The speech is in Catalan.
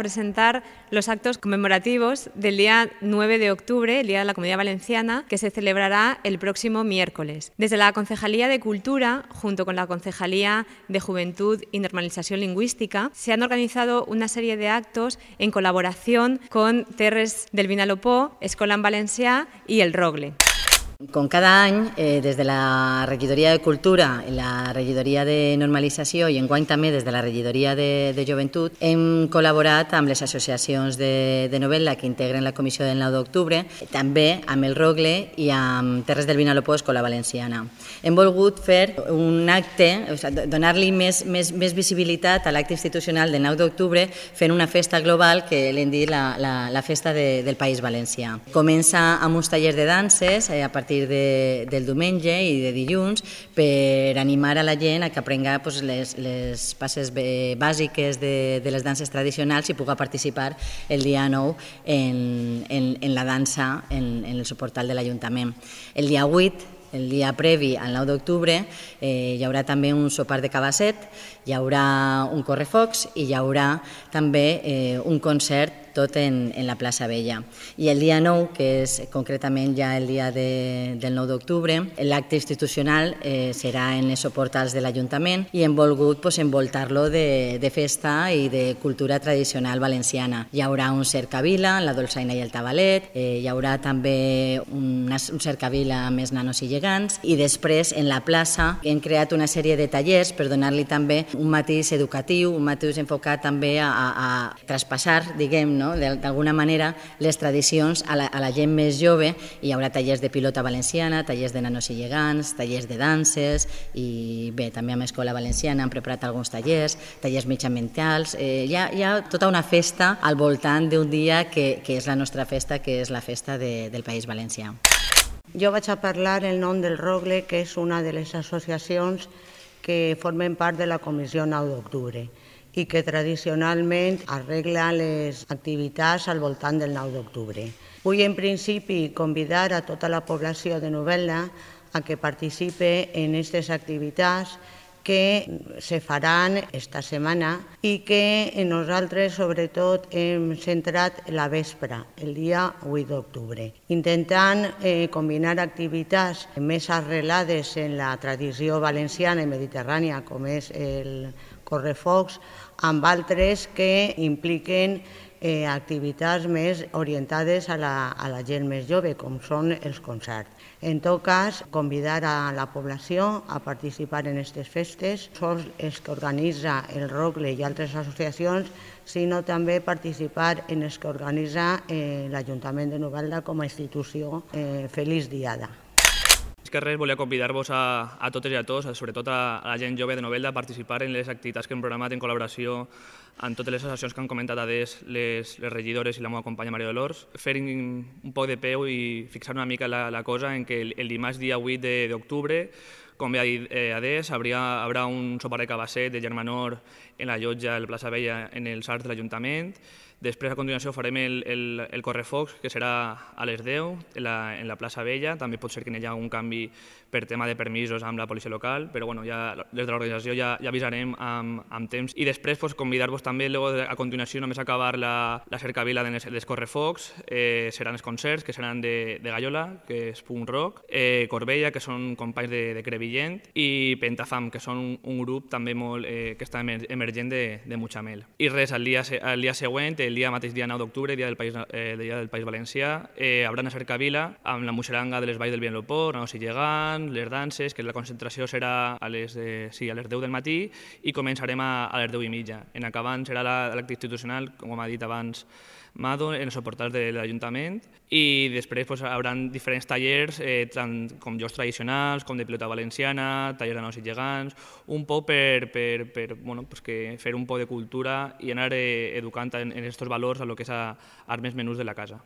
presentar los actos conmemorativos del día 9 de octubre, el Día de la Comunidad Valenciana, que se celebrará el próximo miércoles. Desde la Concejalía de Cultura, junto con la Concejalía de Juventud y Normalización Lingüística, se han organizado una serie de actos en colaboración con Terres del Vinalopó, Escola en Valencià i el Rogle. Com cada any, des de la Regidoria de Cultura i la Regidoria de Normalització i enguany també des de la Regidoria de Joventut hem col·laborat amb les associacions de novel·la que integren la Comissió del 9 d'octubre, també amb el Rogle i amb Terres del Vinalopó, Escola Valenciana. Hem volgut fer un acte, donar-li més visibilitat a l'acte institucional del 9 d'octubre fent una festa global que l'hem dit la festa del País Valencià. Comença amb uns tallers de danses a partir del diumenge i de dilluns per animar a la gent a que aprenga les passes bàsiques de les danses tradicionals i pugui participar el dia 9 en la dansa en el suportal de l'Ajuntament. El dia 8, el dia previ al 9 d'octubre, hi haurà també un sopar de cabasset, hi haurà un correfocs i hi haurà també un concert tot en la plaça Vella. I el dia 9, que és concretament ja el dia del 9 d'octubre, l'acte institucional serà en els suportals de l'Ajuntament i hem volgut envoltar-lo de festa i de cultura tradicional valenciana. Hi haurà un cercavila, la dolçaina i el tabalet, hi haurà també un cercavila amb els nanos i gegants i després en la plaça hem creat una sèrie de tallers per donar-li també un matís educatiu, un matís enfocat també a traspassar, diguem, d'alguna manera les tradicions a la gent més jove. Hi haurà tallers de pilota valenciana, tallers de nanos i gegants, tallers de danses i bé, també amb Escola Valenciana han preparat alguns tallers mitjanmentals. Hi ha tota una festa al voltant d'un dia que és la nostra festa, que és la festa del País Valencià. Jo vaig a parlar en nom del Rogle, que és una de les associacions que formen part de la Comissió 9 d'octubre i que tradicionalment arregla les activitats al voltant del 9 d'octubre. Vull en principi convidar a tota la població de Novelda a que participe en aquestes activitats que se faran esta setmana i que nosaltres sobretot hem centrat la vespre, el dia 8 d'octubre, intentant combinar activitats més arrelades en la tradició valenciana i mediterrània, com és el correfocs, amb altres que impliquen activitats més orientades a la gent més jove, com són els concerts. En tot cas, convidar a la població a participar en aquestes festes, sols els que organitza el Rogle i altres associacions, sinó també participar en els que organitza l'Ajuntament de Novelda com a institució. Feliç Diada. Més que res, volia convidar-vos a totes i a tots, sobretot a la gent jove de Novelda, a participar en les activitats que hem programat en col·laboració amb totes les associacions que han comentat les regidores i la meva companya Maria Dolors, fer un poc de peu i fixar una mica la cosa en que el dimarts dia 8 d'octubre, com bé ha dit Adés, haurà un sopar de cabasset de germanor en la llotja de la plaça Vella en els arcs de l'Ajuntament. Després, a continuació, farem el correfocs, que serà a les 10 en la plaça Vella. També pot ser que hi hagi un canvi per tema de permisos amb la policia local, però des de l'organització ja avisarem amb temps. I després convidar-vos també, a continuació, només acabar la cercavila dels correfocs, seran els concerts, que seran de Gallola, que és punk rock, Corbella, que són companys de Crevillent, i Pentafam, que són un grup també molt que està emergent de Mutxamel. I res, el dia següent, el mateix dia 9 d'octubre, dia del País Valencià, hi haurà una cercavila amb la muixeranga de les valls del Vinalopó, nanos i gegants, les danses, que la concentració serà a les 10 del matí i començarem a les 10:30. En acabant serà l'acte institucional, com ha dit abans Mado, en els suportals de l'Ajuntament, i després hi haurà diferents tallers, tant com jocs tradicionals, com de pilota valenciana, tallers de nanos i gegants, un poc per fer un poc de cultura i anar educant en aquests valors a lo que és als més menús de la casa.